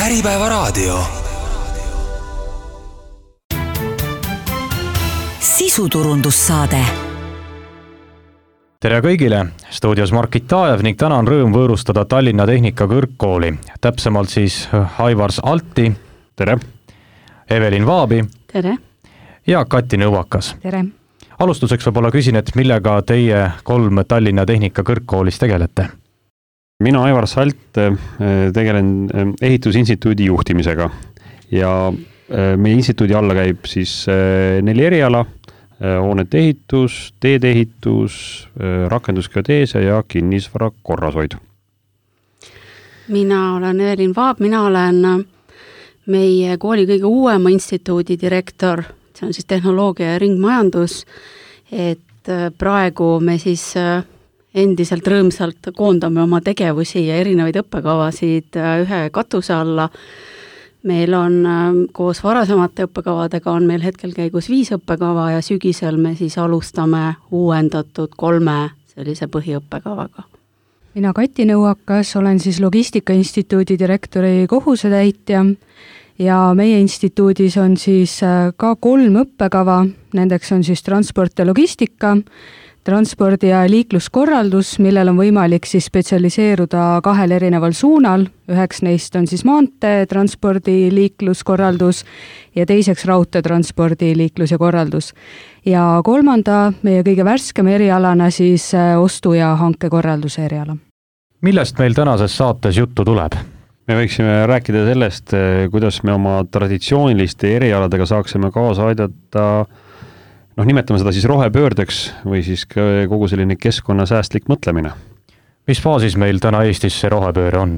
Äripäevaraadio. Sisuturundussaade. Tere kõigile, stuudios Margit Taajev ning täna on rõõm võõrustada Tallinna Tehnikakõrgkooli. Täpsemalt siis Aivars Alti. Tere. Evelin Vaabi. Tere. Ja Kati Nõuakas. Tere. Alustuseks võib-olla küsin, et millega teie 3 Tallinna Tehnikakõrgkoolis tegelete? Mina Aivar Salt tegelen ehitusinstituudi juhtimisega ja meie instituudi alla käib siis 4 eriala, hoonete ehitus, teede ehitus, rakendusgeodeesia ja kinnisvara korrashoid. Mina olen Evelin Vaab, mina olen meie kooli kõige uuema instituudi direktor, see on siis tehnoloogia ja ringmajandus, et praegu me siis endiselt rõõmsalt koondame oma tegevusi ja erinevaid õppekavasid ühe katuse alla. Meil on koos varasemate õppekavadega on meil hetkel käigus 5 õppekava ja sügisel me siis alustame uuendatud 3 sellise põhiõppekavaga. Mina Kati Nõuakas, olen siis Logistikainstituudi direktori kohusetäitja ja meie instituudis on siis ka 3 õppekava, nendeks on siis transport ja logistika, transpordi- ja liikluskorraldus, millel on võimalik siis spetsialiseeruda 2 erineval suunal. Üheks neist on siis maantee, transpordi, liikluskorraldus ja teiseks raudteetranspordi, liiklus ja korraldus. Ja 3. meie kõige värskema erialana siis ostu- ja hankekorralduse eriala. Millest meil tänases saates juttu tuleb? Me võiksime rääkida sellest, kuidas me oma traditsiooniliste erialadega saaksime kaasa aidata nimetame seda siis rohepöördeks või siis kogu selline keskkonnasäästlik mõtlemine. Mis faasis meil täna Eestis see rohepööre on?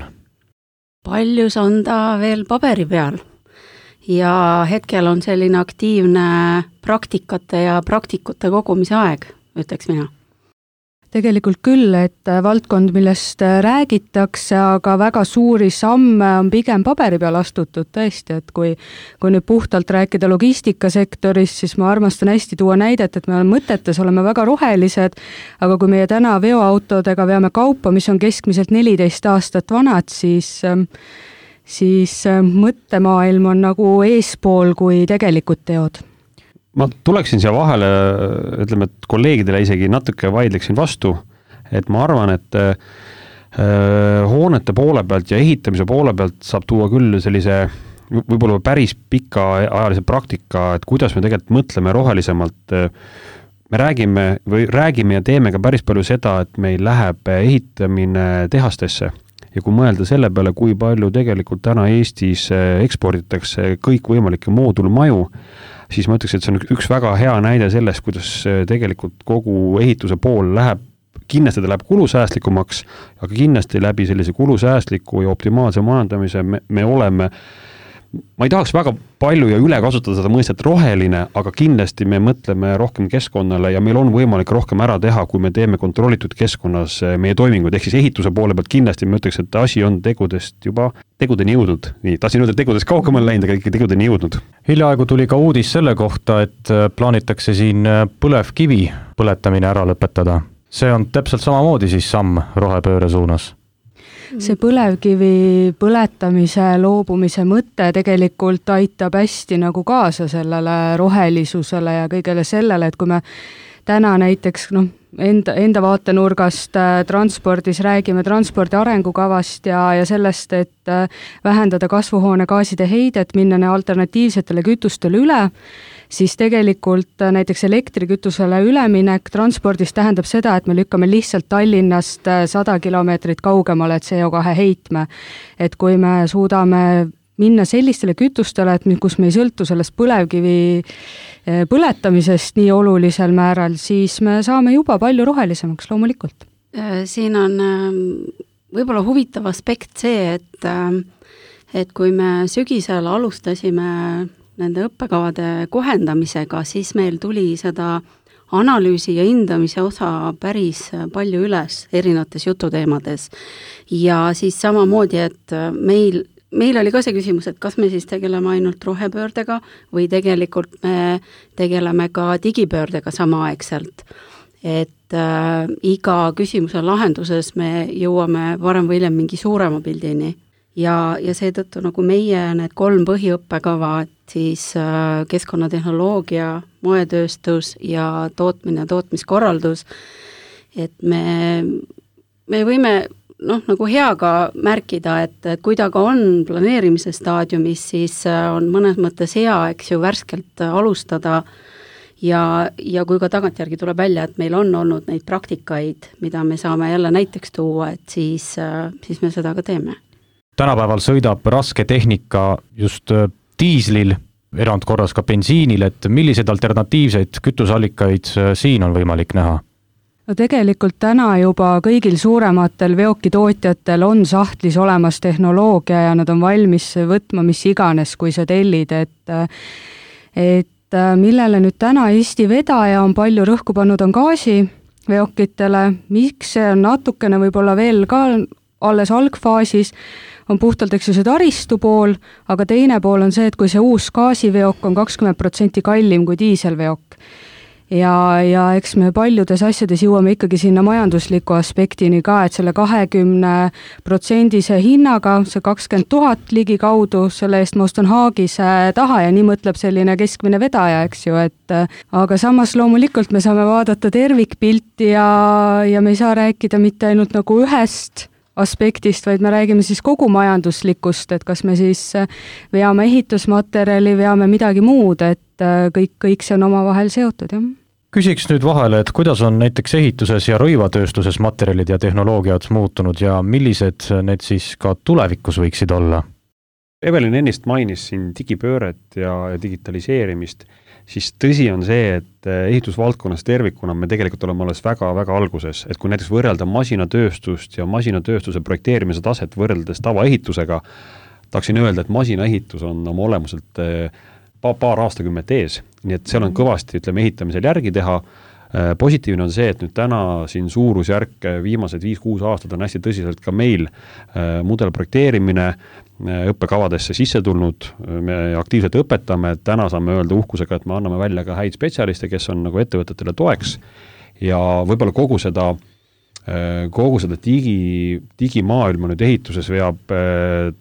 Paljus on ta veel paberi peal ja hetkel on selline aktiivne praktikate ja praktikute kogumise aeg, ütleks mina. Tegelikult küll, et valdkond, millest räägitakse, aga väga suuri samme on pigem paberi peal astutud tõesti, et kui nüüd puhtalt rääkida logistikasektorist, siis ma armastan hästi tuua näidet, et me mõtetes oleme väga rohelised, aga kui meie täna veoautodega veame kaupa, mis on keskmiselt 14 aastat vanad, siis mõttemaailm on nagu eespool kui tegelikud teod. Ma tuleksin siia vahele, ütleme, et kolleegidele isegi natuke vaidleksin vastu, et ma arvan, et hoonete poole pealt ja ehitamise poole pealt saab tuua küll sellise võib-olla päris pika ajalise praktika, et kuidas me tegelikult mõtleme rohelisemalt. Me räägime ja teeme ka päris palju seda, et meil läheb ehitamine tehastesse. Ja kui mõelda selle peale, kui palju tegelikult täna Eestis eksporditakse kõik võimalikke moodulmaju, siis ma ütleks, et see on üks väga hea näide sellest, kuidas tegelikult kogu ehituse pool kindlasti ta läheb kulusäästlikumaks, aga kindlasti läbi sellise kulusäästliku ja optimaalse majandamise me oleme, ma ei tahaks väga palju ja üle kasutada seda mõistet roheline, aga kindlasti me mõtleme rohkem keskkonnale ja meil on võimalik rohkem ära teha, kui me teeme kontrollitud keskkonnas meie toimingud, ehk siis ehituse poole pealt kindlasti ma ütleks, et asi on tegudeni jõudnud. Nii, tahtsin öelda tegudest kaugemale läinud, aga ikka tegudeni jõudnud. Hiljaaegu tuli ka uudis selle kohta, et plaanitakse siin põlevkivi põletamine ära lõpetada. See on täpselt samamoodi siis samm rohepööre suunas. See põlevkivi põletamise loobumise mõte tegelikult aitab hästi nagu kaasa sellele rohelisusele ja kõigele sellele, et kui me täna näiteks enda vaatenurgast transpordis räägime transpordi arengukavast ja sellest, et vähendada kasvuhoonegaaside heidet, minna alternatiivsetele kütustele üle, siis tegelikult näiteks elektrikütusele üleminek transpordis tähendab seda, et me lükkame lihtsalt Tallinnast 100 kilomeetrit kaugemale CO2 heitme. Et kui me suudame minna sellistele kütustele, et kus me ei sõltu sellest põlevkivi põletamisest nii olulisel määral, siis me saame juba palju rohelisemaks loomulikult. Siin on võib-olla huvitav aspekt see, et kui me sügisel alustasime nende õppekavade kohendamisega, siis meil tuli seda analüüsi ja hindamise osa päris palju üles erinevates jututeemades. Ja siis samamoodi, et meil oli ka see küsimus, et kas me siis tegeleme ainult rohepöördega või tegelikult me tegeleme ka digipöördega samaaegselt. Et iga küsimuse lahenduses me jõuame varem või hiljem mingi suurema pildini. ja seetõttu nagu meie need 3 põhiõppekava, et siis keskkonnatehnoloogia, moetööstus ja tootmine ja tootmiskorraldus, et me võime nagu heaga märkida, et kui ta ka on planeerimise staadiumis, siis on mõnes mõttes hea, eks ju, värskelt alustada ja kui ka tagantjärgi tuleb välja, et meil on olnud neid praktikaid, mida me saame jälle näiteks tuua, et siis me seda ka teeme. Tänapäeval sõidab raske tehnika just diislil, erandkorras ka bensiinil, et milliseid alternatiivseid kütusallikaid siin on võimalik näha? No tegelikult täna juba kõigil suurematel veokitootjatel on sahtlis olemas tehnoloogia ja nad on valmis võtma mis iganes, kui sa tellid, et millele nüüd täna Eesti vedaja on palju rõhku pannud, on gaasiveokitele, miks see on natukene võib-olla veel ka alles algfaasis, on puhtalt eks see taristu pool, aga teine pool on see, et kui see uus gaasiveok on 20% kallim kui diiselveok ja eks me paljudes asjades jõuame ikkagi sinna majandusliku aspektini ka, et selle 20% hinnaga, see 20 000 ligi kaudu, selle eest ma ostan haagise taha ja nii mõtleb selline keskmine vedaja, eks ju, et aga samas loomulikult me saame vaadata tervikpilti ja me ei saa rääkida mitte ainult nagu ühest aspektist, vaid me räägime siis kogu majanduslikust, et kas me siis veame ehitusmaterjali, veame midagi muud, et kõik see on omavahel seotud, jah. Küsiks nüüd vahele, et kuidas on näiteks ehituses ja rõivatööstuses materjalid ja tehnoloogiad muutunud ja millised need siis ka tulevikus võiksid olla? Evelin ennist mainis siin digipööret ja digitaliseerimist, siis tõsi on see, et ehitusvaldkonnas tervikuna me tegelikult oleme alles väga-väga alguses, et kui näiteks võrrelda masinatööstust ja masinatööstuse projekteerimise taset võrreldes tavaehitusega, tahaksin öelda, et masinaehitus on oma olemuselt paar aastakümmet ees, nii et seal on kõvasti, ütleme, ehitamisel järgi teha. Positiivne on see, et nüüd täna siin suurusjärk viimased 5-6 aastat on hästi tõsiselt ka meil mudelprojekteerimine õppekavadesse sisse tulnud, me aktiivselt õpetame, täna saame öelda uhkusega, et me anname välja ka häid spetsialiste, kes on nagu ettevõtetele toeks ja võib-olla kogu seda digimaailma nüüd ehituses veab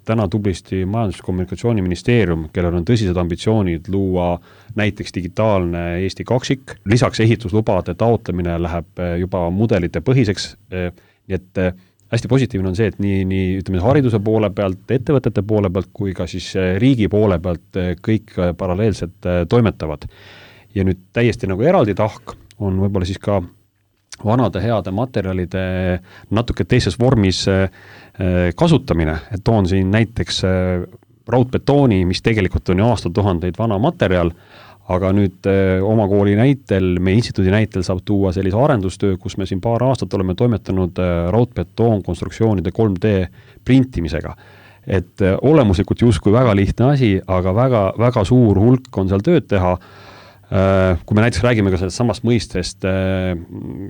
täna tublisti Majandus- ja Kommunikatsiooniministeerium, kellel on tõsised ambitsioonid luua näiteks digitaalne Eesti kaksik. Lisaks ehituslubade taotlemine läheb juba mudelite põhiseks, nii et hästi positiivne on see, et nii ütleme, hariduse poole pealt, ettevõtete poole pealt kui ka siis riigi poole pealt kõik paralleelselt toimetavad. Ja nüüd täiesti nagu eraldi tahk on võib-olla siis ka vanade heade materjalide natuke teises vormis kasutamine, et toon siin näiteks raudbetooni, mis tegelikult on ju aastatuhandeid vana materjal, aga nüüd oma kooli näitel, meie instituudi näitel saab tuua sellise arendustöö, kus me siin paar aastat oleme toimetanud raudbetoonkonstruktsioonide 3D printimisega. Et olemuslikult justkui väga lihtne asi, aga väga suur hulk on seal tööd teha. Kui me näiteks räägime ka sellest samast mõistest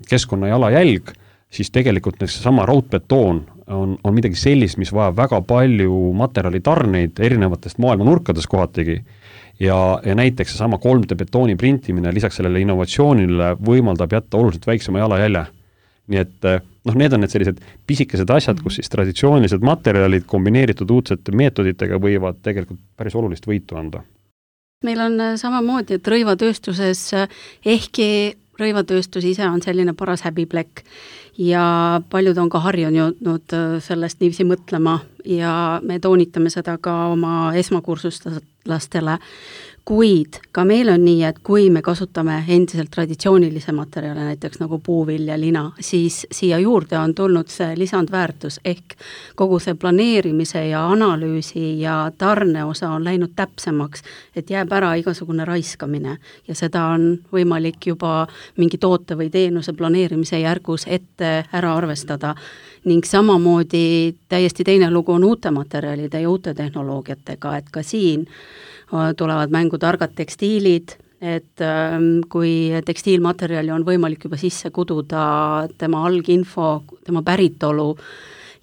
keskkonna jalajälg, siis tegelikult sama raudbetoon on midagi sellist, mis vajab väga palju materjali tarneid erinevatest maailma nurkades kohatigi. Ja näiteks sama 3D betooni printimine lisaks sellele innovatsioonile võimaldab jätta oluliselt väiksema jalajälje. Nii et need on need sellised pisikesed asjad, kus siis traditsioonilised materjalid kombineeritud uudsete meetoditega võivad tegelikult päris olulist võitu anda. Meil on samamoodi, et rõivatööstuses, ehkki rõivatööstus ise on selline paras häbiplekk ja paljud on ka harjunud sellest niiviisi mõtlema ja me toonitame seda ka oma esmakursuslastele, kuid ka meil on nii, et kui me kasutame endiselt traditsioonilise materjale, näiteks nagu puuvilja, lina, siis siia juurde on tulnud see lisandväärtus ehk kogu see planeerimise ja analüüsi ja tarne osa on läinud täpsemaks, et jääb ära igasugune raiskamine ja seda on võimalik juba mingi toote või teenuse planeerimise järgus ette ära arvestada. Ning samamoodi täiesti teine lugu on uute materjalide ja uute tehnoloogiatega, et ka siin tulevad mängu targad tekstiilid, et kui tekstiilmaterjali on võimalik juba sisse kududa tema alginfo, tema päritolu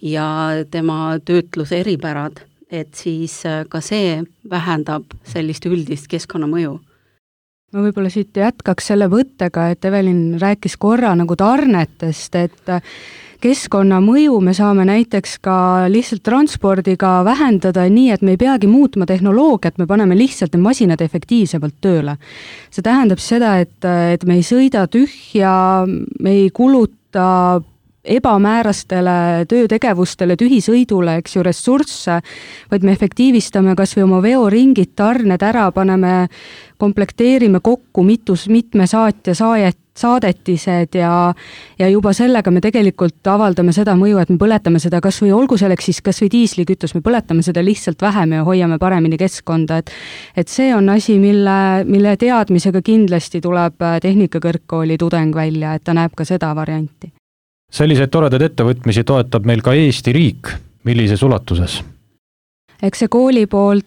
ja tema töötluse eripärad, et siis ka see vähendab sellist üldist keskkonnamõju. Ma võib-olla siit jätkaks selle võttega, et Evelin rääkis korra nagu tarnetest, et keskkonnamõju me saame näiteks ka lihtsalt transpordiga vähendada nii, et me ei peagi muutma tehnoloogiat, me paneme lihtsalt need masinad efektiivsemalt tööle. See tähendab seda, et me ei sõida tühja, me ei kuluta ebamäärastele töötegevustele, tühisõidule, eks ju, ressursse, vaid me efektiivistame kas või oma veoringid, tarned ära, paneme, komplekteerime kokku mitme saatja saadetised ja juba sellega me tegelikult avaldame seda mõju, et me põletame seda kas või olgu selleks siis kas või diislikütus, me põletame seda lihtsalt vähem ja hoiame paremini keskkonda, et see on asi, mille teadmisega kindlasti tuleb Tehnikakõrgkooli tudeng välja, et ta näeb ka seda varianti. Selliseid toredaid ettevõtmisi toetab meil ka Eesti riik. Millises ulatuses? Eks see kooli poolt,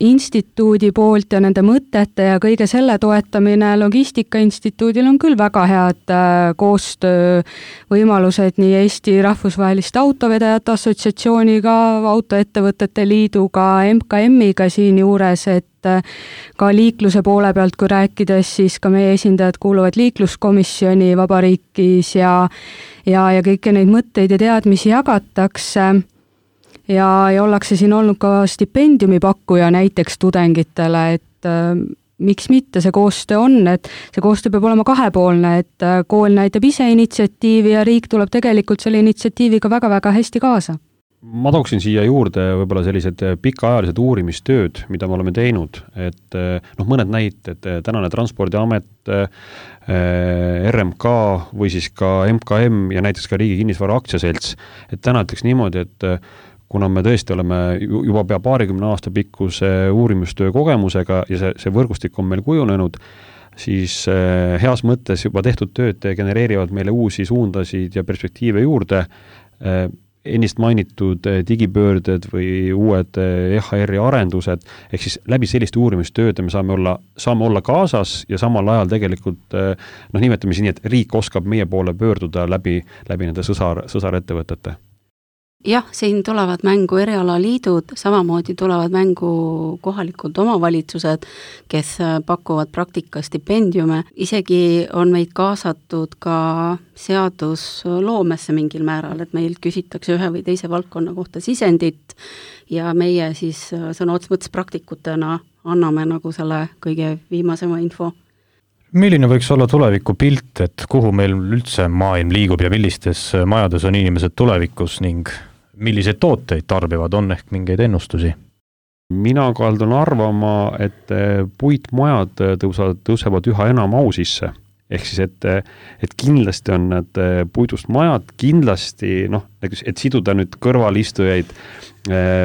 instituudi poolt ja nende mõtete ja kõige selle toetamine Logistikainstituudil on küll väga head koostöövõimalused nii Eesti Rahvusvaheliste Autovedajate Assotsiatsiooniga, Autoettevõtete Liiduga, MKM-iga siin juures, et ka liikluse poole pealt, kui rääkides, siis ka meie esindajad kuuluvad liikluskomisjoni vabariigis ja kõiki neid mõtteid ja teadmisi jagatakse. Ja ollakse siin olnud ka stipendiumi pakkuja näiteks tudengitele, et miks mitte see koostöö on, et see koostöö peab olema kahepoolne, et kool näitab ise initsiatiivi ja riik tuleb tegelikult selle initsiatiiviga väga-väga hästi kaasa. Ma tooksin siia juurde võib-olla sellised pikaajalised uurimistööd, mida me oleme teinud, et mõned näited, tänane Transpordiamet, RMK või siis ka MKM ja näiteks ka Riigi Kinnisvara Aktsiaselts, et täna ütleks niimoodi, et kuna me tõesti oleme juba pea 20 aasta pikkuse uurimustöö kogemusega ja see võrgustik on meil kujunenud, siis heas mõttes juba tehtud tööd genereerivad meile uusi suundasid ja perspektiive juurde. Ennist mainitud digipöörded või uued EHR-i arendused, ehk siis läbi selliste uurimistööde me saame olla kaasas ja samal ajal tegelikult, nimetame siin nii, et riik oskab meie poole pöörduda läbi nende sõsarettevõtete. Jah, siin tulevad mängu erialaliidud, samamoodi tulevad mängu kohalikud omavalitsused, kes pakuvad praktikastipendiume. Isegi on meid kaasatud ka seadusloomesse mingil määral, et meilt küsitakse ühe või teise valdkonna kohta sisendit ja meie siis sõna otseses mõttes praktikutena anname nagu selle kõige viimasema info. Milline võiks olla tuleviku pilt, et kuhu meil üldse maailm liigub ja millistes majades on inimesed tulevikus ning milliseid tooteid tarbivad, on ehk mingeid ennustusi? Mina kaldun arvama, et puitmajad tõusevad üha enam au sisse. Ehk siis, et kindlasti on need puidust majad, kindlasti, et siduda nüüd kõrvalistujaid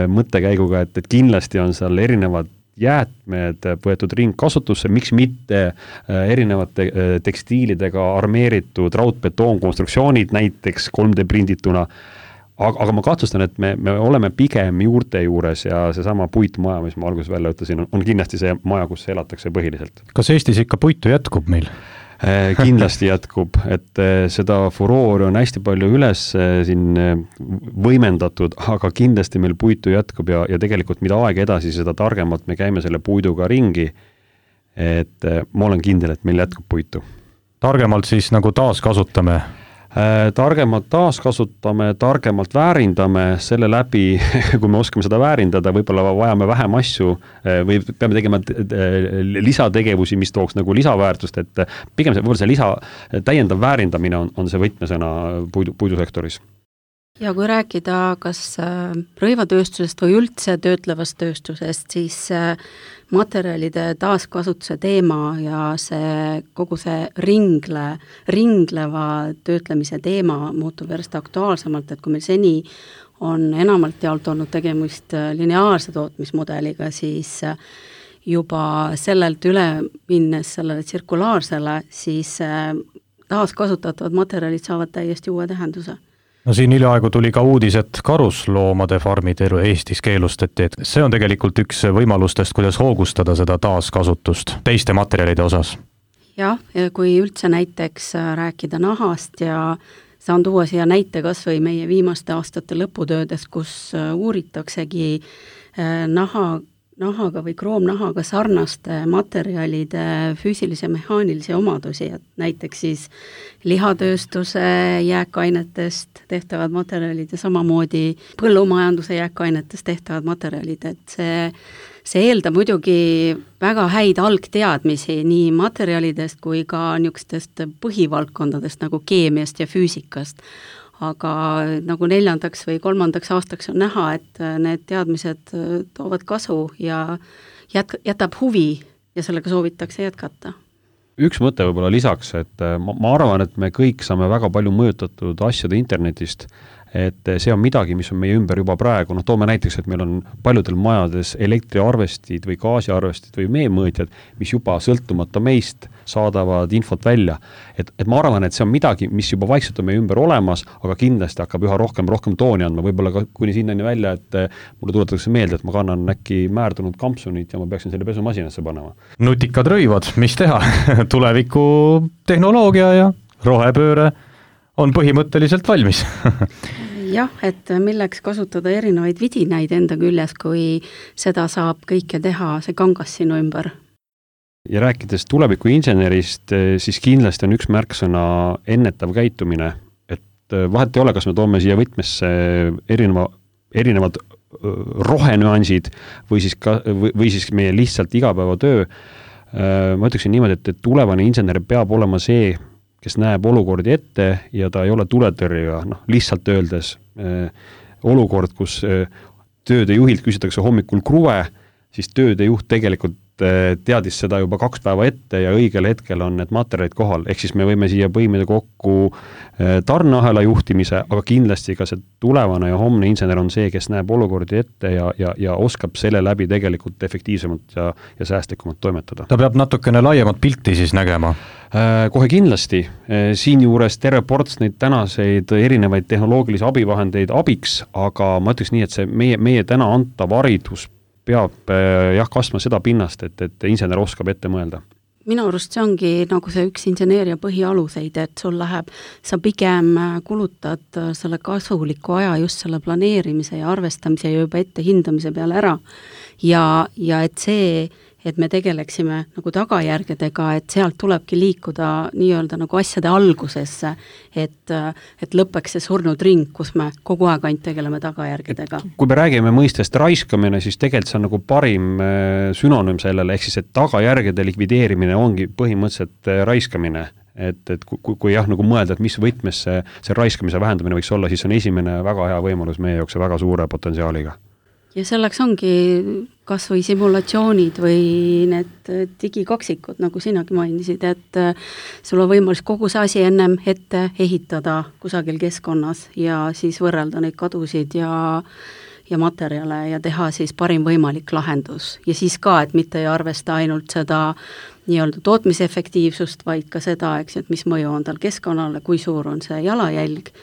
mõttekäiguga, et kindlasti on seal erinevad jäätmed võetud ringkasutusse, miks mitte erinevate tekstiilidega armeeritud raudbetoonkonstruktsioonid, näiteks 3D prindituna. Aga ma kahtlustan, et me oleme pigem juurte juures ja seesama puitmaja, mis ma alguses välja ütlesin, on kindlasti see maja, kus elatakse põhiliselt. Kas Eestis ikka puitu jätkub meil? Kindlasti jätkub, et seda furoori on hästi palju üles siin võimendatud, aga kindlasti meil puitu jätkub ja tegelikult mida aeg edasi, seda targemalt me käime selle puiduga ringi, et ma olen kindel, et meil jätkub puitu. Targemalt siis nagu taaskasutame? Targemalt taaskasutame, targemalt väärindame, selle läbi, kui me oskame seda väärindada, võib-olla vajame vähem asju või peame tegema lisategevusi, mis tooks nagu lisaväärtust, et pigem see täiendav väärindamine on see võtmesõna puidusektoris. Ja kui rääkida kas rõivatööstusest või üldse töötlevast tööstusest, siis materjalide taaskasutuse teema ja kogu see ringleva töötlemise teema muutub järjest aktuaalsemalt, et kui meil seni on enamalt jaolt olnud tegemist lineaarse tootmismudeliga, siis juba sellelt üle minnes sellele tsirkulaarsele, siis taaskasutatavad materjalid saavad täiesti uue tähenduse. No siin hiljaaegu tuli ka uudis, et karusloomade farmid Eestis keelustati, et see on tegelikult üks võimalustest, kuidas hoogustada seda taaskasutust teiste materjalide osas. Jah, kui üldse näiteks rääkida nahast ja saan tuua siia näite kas või meie viimaste aastate lõputöödes, kus uuritaksegi naha nahaga või kroomnahaga sarnaste materjalide füüsilise ja mehaanilisi omadusi, et näiteks siis lihatööstuse jääkainetest tehtavad materjalid ja samamoodi põllumajanduse jääkainetest tehtavad materjalid, et see eeldab muidugi väga häid algteadmisi nii materjalidest kui ka niisugustest põhivaldkondadest nagu keemiast ja füüsikast. Aga nagu 4. või 3. aastaks on näha, et need teadmised toovad kasu ja jätab huvi ja sellega soovitakse jätkata. Üks mõte võib-olla lisaks, et ma arvan, et me kõik saame väga palju mõjutatud asjade internetist, et see on midagi, mis on meie ümber juba praegu, toome näiteks, et meil on paljudel majades elektriarvestid või gaasiarvestid või meemõõtjad, mis juba sõltumata meist saadavad infot välja. Et ma arvan, et see on midagi, mis juba vaikselt on meie ümber olemas, aga kindlasti hakkab üha rohkem tooni andma, võib-olla ka kuni sinnani välja, et mulle tuletatakse meelde, et ma kannan äkki määrdunud kampsunit ja ma peaksin selle pesumasinasse panema. Nutikad rõivad, mis teha? Tuleviku tehnoloogia ja rohepööre on põhimõtteliselt valmis. Jah, et milleks kasutada erinevaid vidinaid enda küljes, kui seda saab kõike teha see kangas sinu ümber. Ja rääkides tuleviku insenerist, siis kindlasti on üks märksõna ennetav käitumine, et vahet ei ole, kas me toome siia võtmesse erinevad rohenüansid või siis meie lihtsalt igapäevatöö. Ma ütleksin niimoodi, et tulevane insener peab olema see, kes näeb olukordi ette ja ta ei ole tuletõrjega, lihtsalt öeldes olukord, kus tööde juhilt küsitakse hommikul kruve, siis tööde juht tegelikult teadis seda juba 2 päeva ette ja õigel hetkel on need materjalid kohal. Ehk siis me võime siia põimida kokku tarneahela juhtimise, aga kindlasti ka see tulevane ja homne insener on see, kes näeb olukordi ette ja oskab selle läbi tegelikult efektiivsemalt ja säästlikumalt toimetada. Ta peab natukene laiemat pilti siis nägema. Kohe kindlasti. Siin juures terve ports neid tänaseid erinevaid tehnoloogilisi abivahendeid abiks, aga ma ütleks nii, et see meie täna antav haridus peab kasvama seda pinnast, et insener oskab ette mõelda. Minu arust see ongi nagu see üks inseneeria põhialuseid, et sul sa pigem kulutad selle kasuliku aja just selle planeerimise ja arvestamise ja juba ette hindamise peale ära. Ja et me tegeleksime nagu tagajärgedega, et sealt tulebki liikuda nii-öelda nagu asjade algusesse, et lõpeks see surnud ring, kus me kogu aeg ainult tegeleme tagajärgedega. Kui me räägime mõistest raiskamine, siis tegelikult see on nagu parim sünonüüm sellele, ehk siis, et tagajärgede likvideerimine ongi põhimõtteliselt raiskamine. Et kui nagu mõelda, et mis võtmes see raiskamise vähendamine võiks olla, siis on esimene väga hea võimalus meie jaoks ja väga suure potentsiaaliga. Ja selleks ongi kas või simulatsioonid või need digikaksikud, nagu sinagi mainisid, et sul on võimalus kogu see asi ennem ette ehitada kusagil keskkonnas ja siis võrrelda neid kadusid ja materjale ja teha siis parim võimalik lahendus. Ja siis ka, et mitte ei arvesta ainult seda nii-öelda tootmisefektiivsust, vaid ka seda, et mis mõju on tal keskkonnale, kui suur on see jalajälg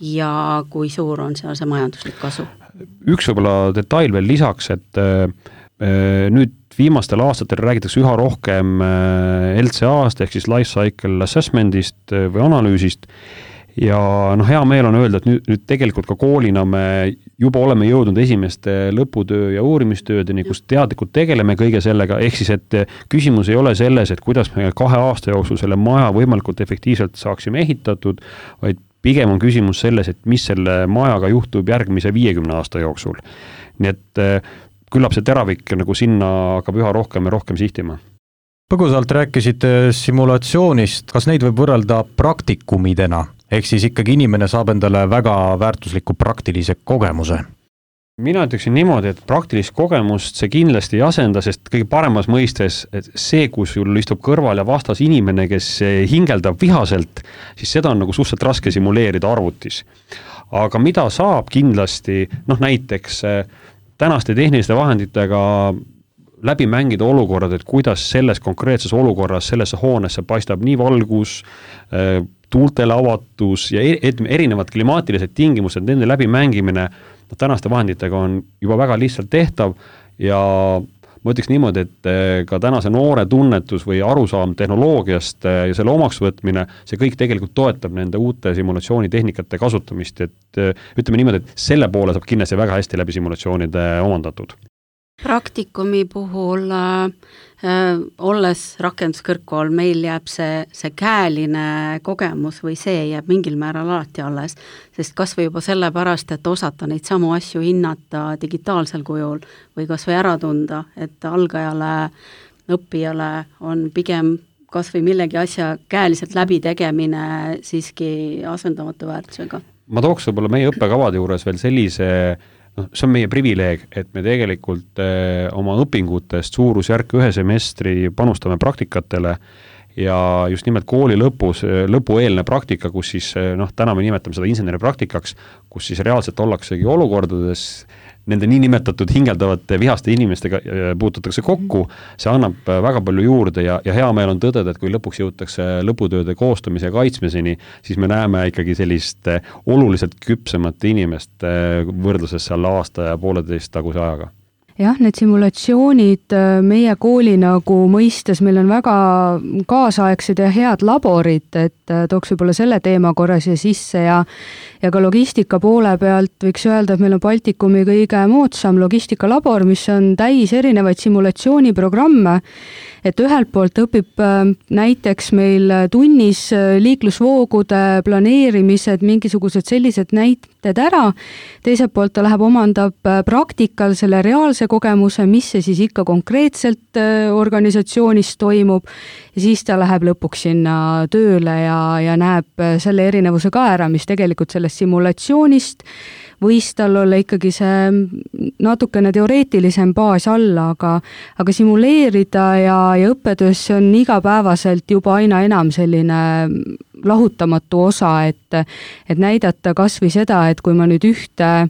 ja kui suur on seal see majanduslik kasu. Üks võib-olla detail veel lisaks, et nüüd viimastel aastatel räägitakse üha rohkem LCA-st ehk siis Life Cycle Assessmentist või analüüsist ja hea meel on öelda, et nüüd tegelikult ka koolina me juba oleme jõudnud esimeste lõputöö ja uurimistöödeni, kus teadlikult tegeleme kõige sellega, ehk siis, et küsimus ei ole selles, et kuidas me 2 aasta jooksul selle maja võimalikult efektiivselt saaksime ehitatud, vaid pigem on küsimus selles, et mis selle majaga juhtub järgmise 50 aasta jooksul. Nii et küllap see teravik nagu sinna hakkab üha rohkem ja rohkem sihtima. Põgusalt rääkisite simulatsioonist, kas neid võib võrrelda praktikumidena? Ehk siis ikkagi inimene saab endale väga väärtusliku praktilise kogemuse? Mina ütleksin niimoodi, et praktilist kogemust see kindlasti ei asenda, sest kõige paremas mõistes, et see, kus sul istub kõrval ja vastas inimene, kes hingeldab vihaselt, siis seda on nagu suhteliselt raske simuleerida arvutis. Aga mida saab kindlasti, näiteks tänaste tehniliste vahenditega läbi mängida olukorrad, et kuidas selles konkreetses olukorras, sellesse hoonesse paistab nii valgus, tuultele avatus ja erinevad klimaatilised tingimused, nende läbi mängimine tänaste vahenditega on juba väga lihtsalt tehtav ja ma ütleks niimoodi, et ka tänase noore tunnetus või arusaam tehnoloogiast ja selle omaks võtmine, see kõik tegelikult toetab nende uute simulatsioonitehnikate kasutamist, et ütleme niimoodi, et selle poole saab kindlasti väga hästi läbi simulatsioonide omandatud. Praktikumi puhul olles rakenduskõrgkool, meil jääb see käeline kogemus või see jääb mingil määral alati alles, sest kas või juba sellepärast, et osata neid samu asju hinnata digitaalsel kujul või kas või ära tunda, et algajale, õppijale on pigem kas või millegi asja käeliselt läbitegemine siiski asendamatu väärtusega. Ma tooks võib-olla meie õppekavade juures veel sellise, see on meie privileeg, et me tegelikult oma õpingutest suurusjärk 1 semestri panustame praktikatele ja just nimelt kooli lõpueelne praktika, kus siis, täna me nimetame seda inseneripraktikaks, kus siis reaalselt ollaksegi olukordades, nende niinimetatud hingeldavate vihaste inimestega puututakse kokku, see annab väga palju juurde ja hea meel on tõdeda, et kui lõpuks jõutakse lõputööde koostamise ja kaitsmiseni, siis me näeme ikkagi sellist oluliselt küpsemat inimest võrdluses seal aasta ja 1,5 taguse ajaga. Jah, need simulatsioonid meie kooli nagu mõistes, meil on väga kaasaegsed ja head laborid, et tooks võib-olla selle teema korra siia sisse ja ka logistika poole pealt võiks öelda, et meil on Baltikumi kõige moodsam logistikalabor, mis on täis erinevaid simulatsiooniprogramme, et ühelt poolt õpib näiteks meil tunnis liiklusvoogude planeerimised, mingisugused sellised näited ära, teiselt poolt ta läheb omandab praktikal selle reaalse kogemuse, mis see siis ikka konkreetselt organisatsioonis toimub ja siis ta läheb lõpuks sinna tööle ja näeb selle erinevuse ka ära, mis tegelikult sellest simulatsioonist võis tal olla ikkagi see natukene teoreetilisem baas alla, aga simuleerida ja õppetöös see on igapäevaselt juba aina enam selline lahutamatu osa, et näidata kas või seda, et kui ma nüüd ühte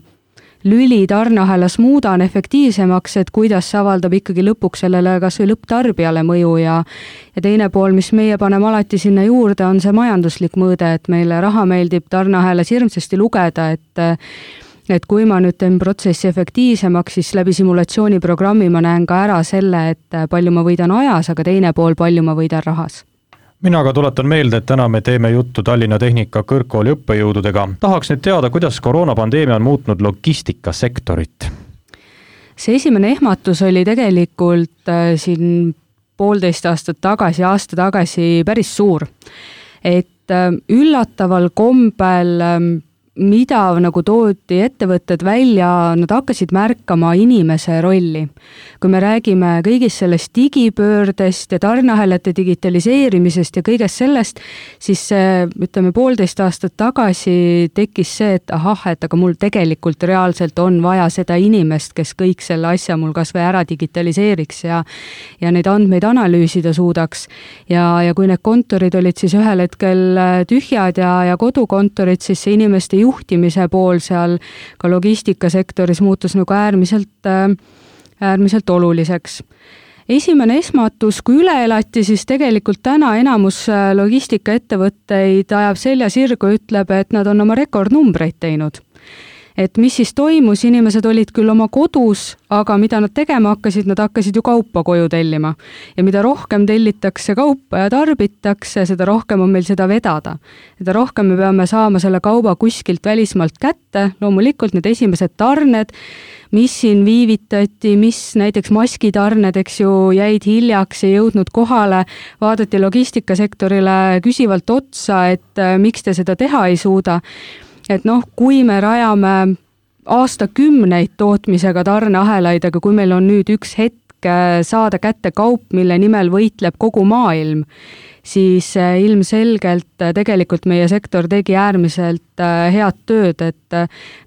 lüli tarneahelas muudan efektiivsemaks, et kuidas see avaldab ikkagi lõpuks sellele kas või lõpptarbijale mõju ja teine pool, mis meie paneme alati sinna juurde, on see majanduslik mõõde, et meile raha meeldib tarneahelas hirmsasti lugeda, et kui ma nüüd teen protsessi efektiivsemaks, siis läbi simulatsiooniprogrammi ma näen ka ära selle, et palju ma võidan ajas, aga teine pool, palju ma võidan rahas. Mina aga tuletan meelde, et täna me teeme juttu Tallinna Tehnika kõrgkooli õppejõududega. Tahaks nüüd teada, kuidas koroonapandeemia on muutnud logistikasektorit? See esimene ehmatus oli tegelikult siin 1,5 aastat tagasi, aasta tagasi päris suur. Et üllataval kombel mida nagu toodi ettevõtted välja, nad hakkasid märkama inimese rolli. Kui me räägime kõigist sellest digipöördest ja tarneahelate digitaliseerimisest ja kõigest sellest, siis ütleme 1,5 aastat tagasi tekkis see, et et aga mul tegelikult reaalselt on vaja seda inimest, kes kõik selle asja mul kas või ära digitaliseeriks ja neid andmeid analüüsida suudaks. Ja kui need kontorid olid siis ühel hetkel tühjad ja kodukontorid, siis see inimeste juhtimise pool seal ka logistikasektoris muutus nagu äärmiselt oluliseks. Esimene esmatus, kui üle elati, siis tegelikult täna enamus logistikaettevõtteid ajab selja sirgu, ütleb, et nad on oma rekordnumbreid teinud. Et mis siis toimus, inimesed olid küll oma kodus, aga mida nad tegema hakkasid, nad hakkasid ju kaupa koju tellima. Ja mida rohkem tellitakse kaupa ja tarbitakse, seda rohkem on meil seda vedada. Seda rohkem me peame saama selle kauba kuskilt välismaalt kätte, loomulikult need esimesed tarned, mis siin viivitati, mis näiteks maskitarned, eks ju, jäid hiljaks ja jõudnud kohale, vaadati logistikasektorile küsivalt otsa, et miks te seda teha ei suuda. Et kui me rajame aastakümneid tootmisega tarneahelaid, aga kui meil on nüüd üks hetk saada kätte kaup, mille nimel võitleb kogu maailm, siis ilmselgelt tegelikult meie sektor tegi äärmiselt head tööd, et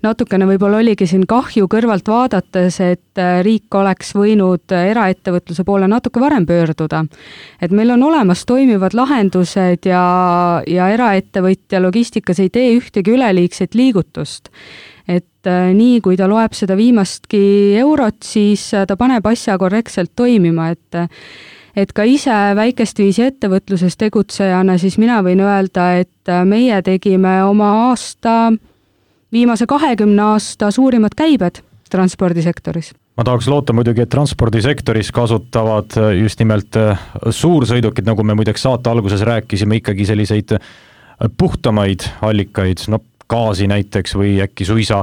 natukene võib-olla oligi siin kahju kõrvalt vaadates, et riik oleks võinud eraettevõtluse poole natuke varem pöörduda. Et meil on olemas toimivad lahendused ja eraettevõtja logistikas ei tee ühtegi üleliigset liigutust. Et nii, kui ta loeb seda viimastki eurot, siis ta paneb asja korrektselt toimima, et ka ise väikest viisi ettevõtluses tegutsejana, siis mina võin öelda, et meie tegime oma viimase 20 aasta suurimad käibed transpordisektoris. Ma tahaks loota muidugi, et transpordisektoris kasutavad just nimelt suursõidukid, nagu me muideks saate alguses rääkisime, ikkagi selliseid puhtamaid allikaid, gaasi näiteks või äkki suisa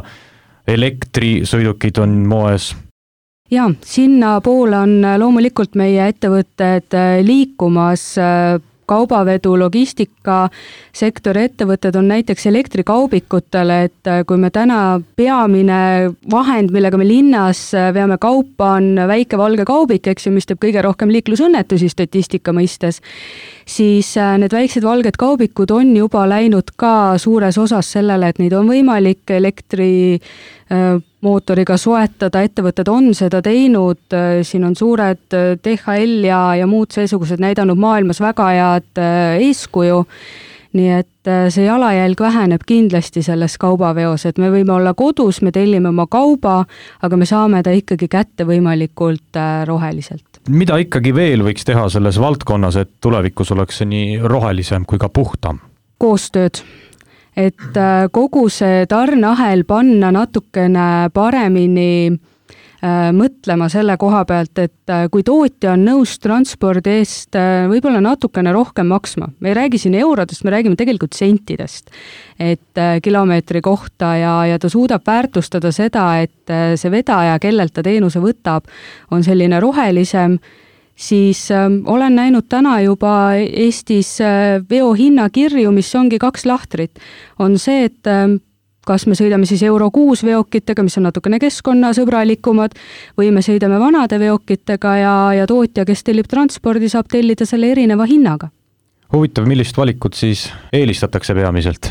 elektrisõidukid on moes. Jaa, sinna poole on loomulikult meie ettevõtted liikumas. Kaubavedu, logistika sektori ettevõtted on näiteks elektrikaubikutele, et kui me täna peamine vahend, millega me linnas veame kaupa, on väike valge kaubik, eks ju, mis teeb kõige rohkem liiklusõnnetusi statistika mõistes, siis need väiksed valged kaubikud on juba läinud ka suures osas sellele, et neid on võimalik elektrimootoriga soetada, ettevõtted on seda teinud, siin on suured DHL ja muud seesugused näidanud maailmas väga head eeskuju, nii et see jalajälg väheneb kindlasti selles kaubaveos, et me võime olla kodus, me tellime oma kauba, aga me saame ta ikkagi kätte võimalikult roheliselt. Mida ikkagi veel võiks teha selles valdkonnas, et tulevikus oleks see nii rohelisem kui ka puhtam? Koostööd. Et kogu see tarneahel panna natukene paremini mõtlema selle koha pealt, et kui tootja on nõus transpordi eest võib-olla natukene rohkem maksma. Me ei räägi siin eurodest, me räägime tegelikult sentidest, et kilomeetri kohta ja ta suudab väärtustada seda, et see vedaja, kellelt ta teenuse võtab, on selline rohelisem, siis olen näinud täna juba Eestis veohinnakirju, mis ongi 2 lahtrit. On see, et kas me sõidame siis Euro 6 veokitega, mis on natukene keskkonnasõbralikumad, või me sõidame vanade veokitega ja tootja, kes tellib transpordi, saab tellida selle erineva hinnaga. Huvitav, millist valikut siis eelistatakse peamiselt?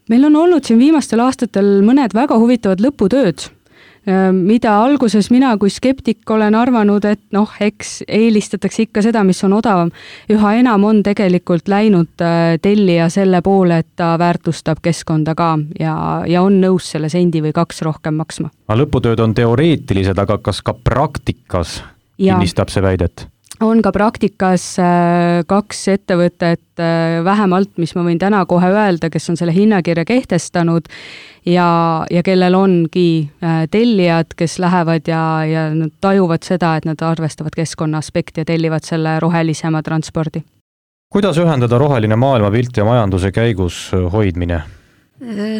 Meil on olnud siin viimastel aastatel mõned väga huvitavad lõputööd, mida alguses mina kui skeptik olen arvanud, et eks eelistatakse ikka seda, mis on odavam. Üha enam on tegelikult läinud tellija selle poole, et ta väärtustab keskkonda ka ja on nõus selle sendi või 2 rohkem maksma. Lõputööd on teoreetilised, aga kas ka praktikas kinnistab see väidet? On ka praktikas 2 ettevõtet vähemalt, mis ma võin täna kohe öelda, kes on selle hinnakirja kehtestanud ja kellel ongi tellijad, kes lähevad ja nad tajuvad seda, et nad arvestavad keskkonna aspekti ja tellivad selle rohelisema transpordi. Kuidas ühendada roheline maailmapilt ja majanduse käigus hoidmine?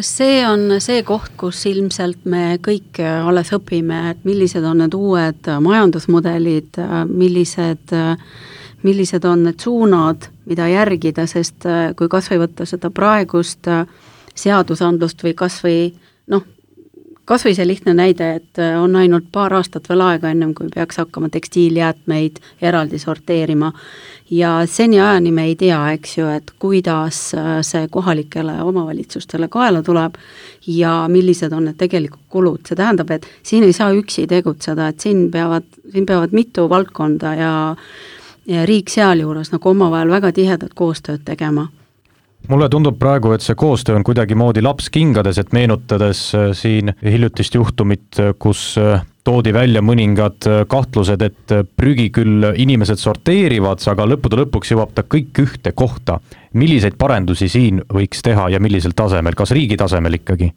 See on see koht, kus ilmselt me kõik alles õpime, et millised on need uued majandusmudelid, millised on need suunad, mida järgida, sest kui kas või võtta seda praegust seadusandlust või kas või see lihtne näide, et on ainult paar aastat veel aega ennem, kui peaks hakkama tekstiiljäätmeid eraldi sorteerima ja seniajani me ei tea, eks ju, et kuidas see kohalikele omavalitsustele kaela tuleb ja millised on need tegelikult kulud. See tähendab, et siin ei saa üksi tegutseda, et siin peavad mitu valdkonda ja riik sealjuures omavahel väga tihedat koostööd tegema. Mulle tundub praegu, et see koostöö on kuidagi moodi laps kingades, et meenutades siin hiljutist juhtumit, kus toodi välja mõningad kahtlused, et prügi küll inimesed sorteerivad, aga lõppude lõpuks jõuab ta kõik ühte kohta. Milliseid parendusi siin võiks teha ja millisel tasemel, kas riigi tasemel ikkagi?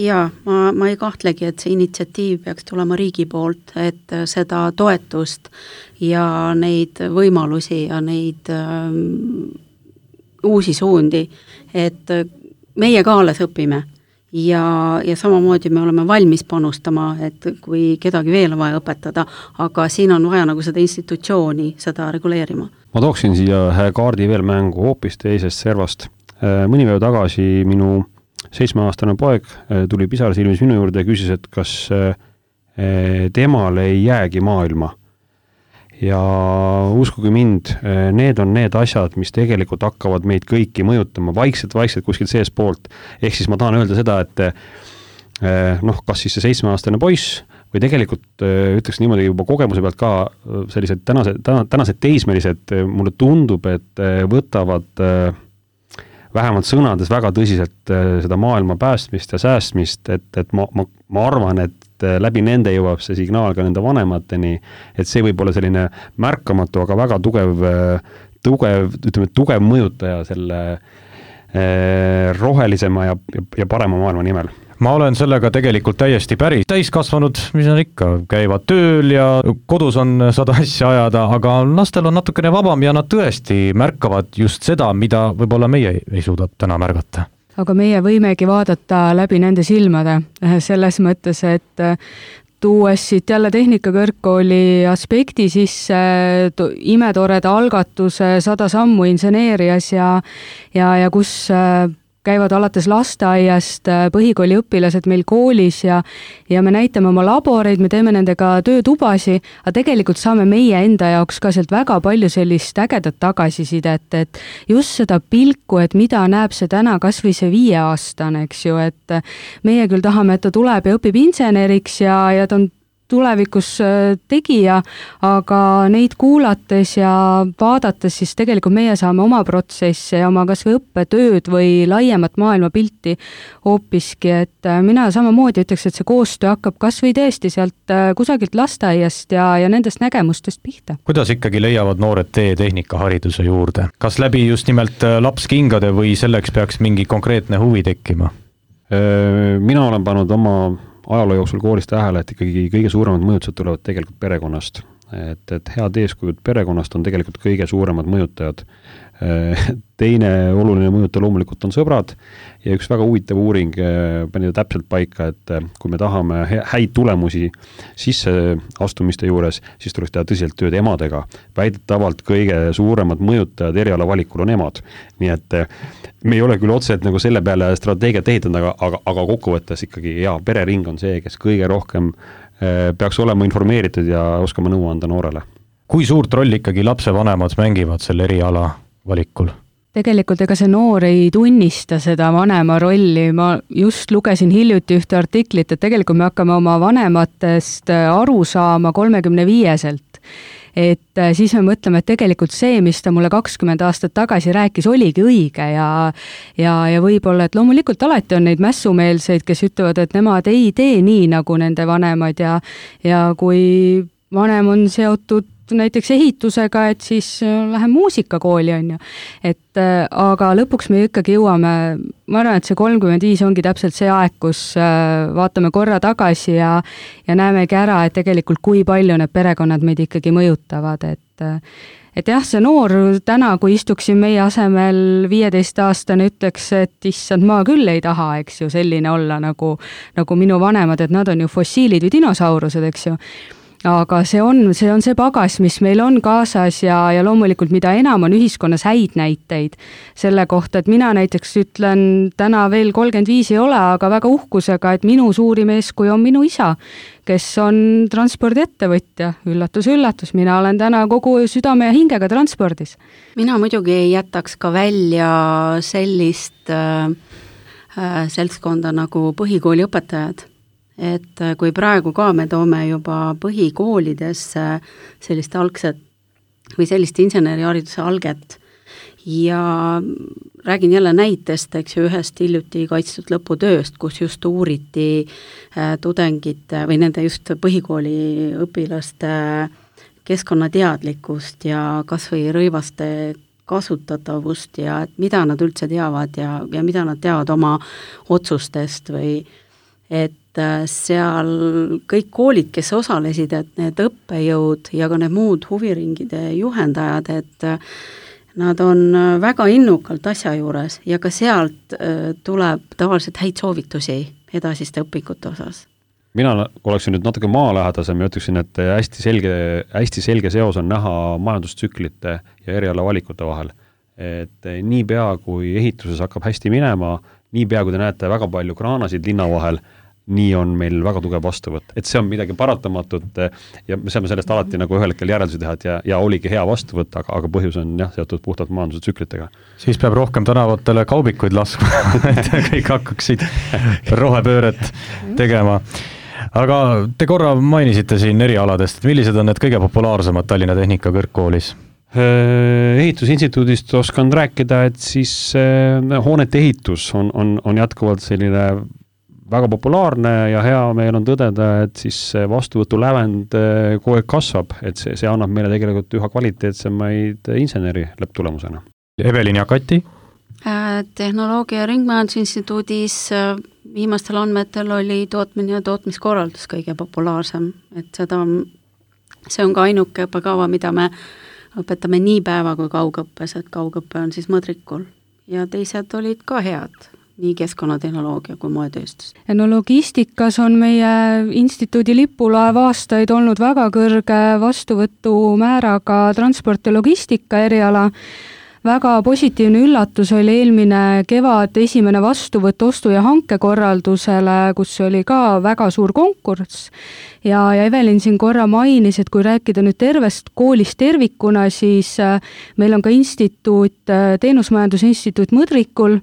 Jaa, ma ei kahtlegi, et see initsiatiiv peaks tulema riigi poolt, et seda toetust ja neid võimalusi ja neid uusi suundi, et meie ka alles õpime ja samamoodi me oleme valmis panustama, et kui kedagi veel on vaja õpetada, aga siin on vaja seda institutsiooni seda reguleerima. Ma tooksin siia kaardi veel mängu hoopis teisest servast. Mõni päev tagasi minu 7-aastane poeg tuli pisar silmis minu juurde ja küsis, et kas temal ei jäägi maailma. Ja uskuge mind, need on need asjad, mis tegelikult hakkavad meid kõiki mõjutama vaikselt kuskilt sees poolt. Ehk siis ma tahan öelda seda, et kas siis see 7-aastane poiss või tegelikult ütleks niimoodi juba kogemuse pealt ka sellised tänased teismelised, mulle tundub, et võtavad vähemalt sõnades väga tõsiselt seda maailma päästmist ja säästmist, et ma arvan, et läbi nende jõuab see signaal ka nende vanemateni, et see võib olla selline märkamatu, aga väga tugev mõjutaja selle rohelisema ja parema maailma nimel. Ma olen sellega tegelikult täiesti päri. Täiskasvanud, mis on ikka, käivad tööl ja kodus on 100 asja ajada, aga lastel on natukene vabam ja nad tõesti märkavad just seda, mida võib-olla meie ei suuda täna märgata. Aga meie võimegi vaadata läbi nende silmade, selles mõttes, et tuues siit jälle Tehnikakõrgkooli aspekti sisse imetoreda algatuse 100 sammu inseneerias ja kus käivad alates lasteaiast põhikooli õpilased meil koolis ja me näitame oma laboreid, me teeme nendega töötubasi, aga tegelikult saame meie enda jaoks ka sealt väga palju sellist ägedat tagasisidet, et just seda pilku, et mida näeb see täna kas või see 5-aastane, eks ju, et meie küll tahame, et ta tuleb ja õpib inseneriks ja ta on tulevikus tegija, aga neid kuulates ja vaadates siis tegelikult meie saame oma protsesse ja oma kas või õppetööd või laiemat maailmapilti hoopiski, et mina samamoodi ütleks, et see koostöö hakkab kas või tõesti sealt kusagilt lasteaiast ja nendest nägemustest pihta. Kuidas ikkagi leiavad noored tee tehnikahariduse juurde? Kas läbi just nimelt lapskingade või selleks peaks mingi konkreetne huvi tekkima? Mina olen pannud oma ajaloo jooksul koolis tähele, et ikkagi kõige suuremad mõjutused tulevad tegelikult perekonnast. Et head eeskujud perekonnast on tegelikult kõige suuremad mõjutajad. Teine oluline mõjutaja loomulikult on sõbrad ja üks väga huvitav uuring pani täpselt paika, et kui me tahame häid tulemusi sisseastumiste juures, siis tuleks teha tõsiselt tööd emadega. Väidetavalt kõige suuremad mõjutajad eriala valikul on emad. Nii et me ei ole küll otseselt nagu selle peale strateegiat ehitanud, aga kokkuvõttes ikkagi perering on see, kes kõige rohkem peaks olema informeeritud ja oskama nõu anda noorele. Kui suurt rolli ikkagi lapsevanemad mängivad selle eriala valikul? Tegelikult ega see noor ei tunnista seda vanema rolli, ma just lugesin hiljuti ühte artiklit, et tegelikult me hakkame oma vanematest aru saama 35-selt. Et siis me mõtleme, et tegelikult see, mis ta mulle 20 aastat tagasi rääkis, oligi õige ja võib-olla, et loomulikult alati on neid mässumeelseid, kes ütlevad, et nemad ei tee nii nagu nende vanemad ja kui vanem on seotud näiteks ehitusega, et siis lähen muusikakooli, on ju. Et aga lõpuks me ikkagi jõuame, ma arvan, et see 35 ongi täpselt see aeg, kus vaatame korra tagasi ja näemegi ära, et tegelikult kui palju need perekonnad meid ikkagi mõjutavad, et jah, see noor täna, kui istuksin meie asemel 15-aastane, ütleks, et issand, ma küll ei taha, eks ju, selline olla nagu minu vanemad, et nad on ju fossiilid või dinosaurused, eks ju. Aga see on see pagas, mis meil on kaasas ja loomulikult mida enam on ühiskonnas häid näiteid selle kohta, et mina näiteks ütlen, täna veel 35 ei ole, aga väga uhkusega, et minu suurim eeskuju on minu isa, kes on transpordiettevõtja. Üllatus, üllatus, mina olen täna kogu südame ja hingega transpordis. Mina muidugi ei jätaks ka välja sellist seltskonda nagu põhikooliõpetajad. Et kui praegu ka me toome juba põhikoolidesse sellist algset või sellist insenerihariduse alget ja räägin jälle näitest, eks ju, ühest hiljuti kaitstud lõputööst, kus just uuriti tudengite või nende just põhikooli õpilaste keskkonnateadlikkust ja kas või rõivaste kasutatavust ja et mida nad üldse teavad ja mida nad teavad oma otsustest või et seal kõik koolid, kes osalesid, et need õppejõud ja ka need muud huviringide juhendajad, et nad on väga innukalt asja juures ja ka sealt tuleb tavaliselt häid soovitusi edasiste õpikute osas. Mina oleksin nüüd natuke maalähedasem ja ütleksin, et hästi selge seos on näha majandustsüklite ja eriala valikute vahel. Et niipea, kui ehituses hakkab hästi minema, niipea, kui te näete väga palju kraanasid linna vahel, nii on meil väga tugev vastuvõtt. Et see on midagi paratamatut ja me saame sellest alati nagu ühel hetkel järeldusi teha, et ja oligi hea vastuvõtt, aga põhjus on seotud puhtalt majanduse tsüklitega. Siis peab rohkem tänavatele kaubikuid laskma, et kõik hakkaksid rohepööret tegema. Aga te korra mainisite siin erialadest, et millised on need kõige populaarsemad Tallinna Tehnikakõrgkoolis? Ehitusinstituudist oskan rääkida, et siis hoonete ehitus on jätkuvalt selline väga populaarne ja hea meel on tõdeda, et siis vastuvõtu lävend kogu aeg kasvab, et see annab meile tegelikult üha kvaliteetsemaid inseneri lõpptulemusena. Evelin ja Kati? Tehnoloogia ja Ringmajandusinstituudis viimastel andmetel oli tootmine ja tootmiskorraldus kõige populaarsem, et see on ka ainuke õppekava, mida me õpetame nii päeva kui kaugõppes, et kaugõppe on siis mõõdrikul ja teised olid ka head. nii keskkonnatehnoloogia kui moetööstus. ja no logistikas on meie instituudi lipulaev aastaid olnud väga kõrge vastuvõtumääraga transport ja logistika eriala. Väga positiivne üllatus oli eelmine kevad esimene vastuvõtt ostu- ja hankekorraldusele, kus oli ka väga suur konkurss. Ja Evelin siin korra mainis, et kui rääkida nüüd tervest koolist tervikuna, siis meil on ka instituut, teenusmajandusinstituut Mõdrikul,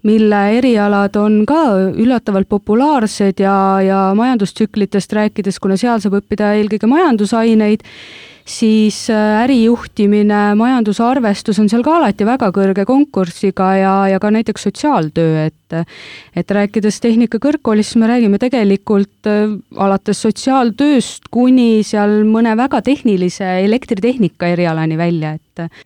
mille erialad on ka üllatavalt populaarsed ja majandustsüklitest rääkides, kuna seal saab õppida eelkõige majandusaineid, siis ärijuhtimine, majandusarvestus on seal ka alati väga kõrge konkursiga ja ka näiteks sotsiaaltöö, et rääkides tehnika kõrgkoolist, me räägime tegelikult alates sotsiaaltööst kuni seal mõne väga tehnilise elektritehnika erialani välja.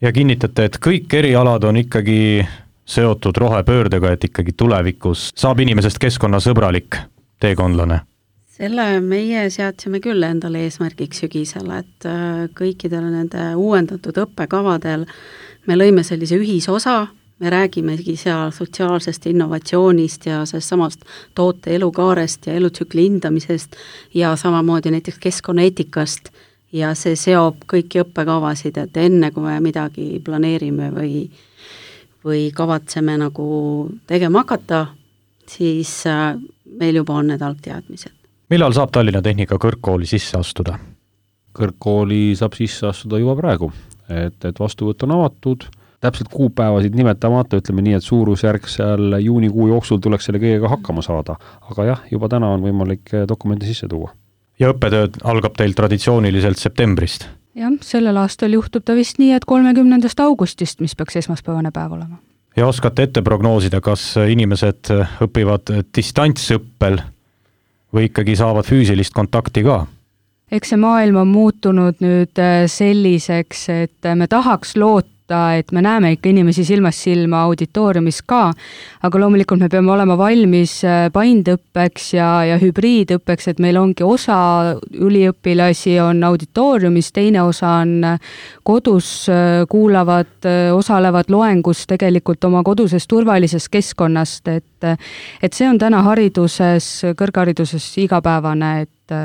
Ja kinnitate, et kõik erialad on ikkagi seotud rohepöördega, et ikkagi tulevikus saab inimesest keskkonnasõbralik teekondlane? Selle meie seadsime küll endale eesmärgiks sügisel, et kõikidel nende uuendatud õppekavadel me lõime sellise ühisosa, me räägimegi seal sotsiaalsest innovatsioonist ja sellest samast toote elukaarest ja elutsükli hindamisest ja samamoodi näiteks keskkonnaeetikast ja see seob kõiki õppekavasid, et enne kui me midagi planeerime või kavatseme nagu tegema hakata, siis meil juba on need algteadmised. Millal saab Tallinna Tehnika kõrgkooli sisse astuda? Kõrgkooli saab sisse astuda juba praegu, et vastuvõtt on avatud, täpselt kuupäevasid nimetamata, ütleme nii, et suurusjärk seal juunikuu jooksul tuleks selle kõigega hakkama saada, aga jah, juba täna on võimalik dokumente sisse tuua. Ja õppetööd algab teil traditsiooniliselt septembrist? Jah, sellel aastal juhtub ta vist nii, et 30. augustist, mis peaks esmaspäevane päev olema. Ja oskate ette prognoosida, kas inimesed õpivad distantsõppel või ikkagi saavad füüsilist kontakti ka? Eks see maailm on muutunud nüüd selliseks, et me tahaks loota, et me näeme ikka inimesi silmast silma auditooriumis ka, aga loomulikult me peame olema valmis paindõppeks ja hübriidõppeks, et meil ongi osa üliõpilasi on auditooriumis, teine osa on kodus, kuulavad, osalevad loengus tegelikult oma koduses turvalises keskkonnast, et see on täna hariduses, kõrghariduses igapäevane, et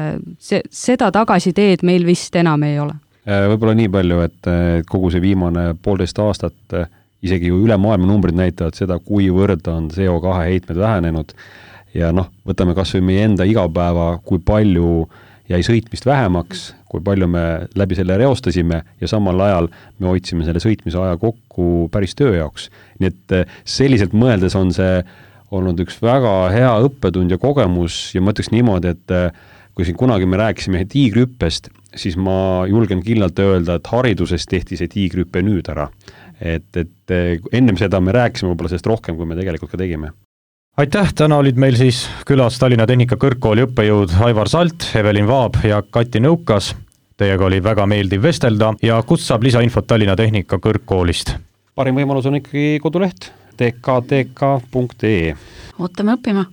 seda tagasiteed meil vist enam ei ole. Võib-olla nii palju, et kogu see viimane 1,5 aastat, isegi ju üle maailma numbrid näitavad seda, kuivõrd on CO2 heitmed vähenenud ja võtame kas või meie enda igapäeva, kui palju jäi sõitmist vähemaks, kui palju me läbi selle reostasime ja samal ajal me hoidsime selle sõitmise aja kokku päris töö jaoks. Nii et selliselt mõeldes on see olnud üks väga hea õppetund ja kogemus ja ma ütleks niimoodi, et kui siin kunagi me rääkisime tiigrihüppest, siis ma julgen kindlalt öelda, et hariduses tehti see tiigrihüppe nüüd ära. Et ennem seda me rääkisime võib-olla sellest rohkem, kui me tegelikult ka tegime. Aitäh, täna olid meil siis külas Tallinna Tehnika kõrgkooli õppejõud Aivar Salt, Evelin Vaab ja Kati Nõukas. Teiega oli väga meeldiv vestelda ja kust saab lisainfot Tallinna Tehnika kõrgkoolist? Parim võimalus on ikkagi koduleht tkk.ee. Ootame õppima.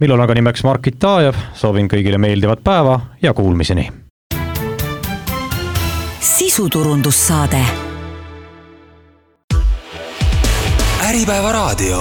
Millal aga nimeks Markit Taajev, soovin kõigile meeldivat päeva ja kuulmiseni. Sisuturundussaade. Äripäeva raadio.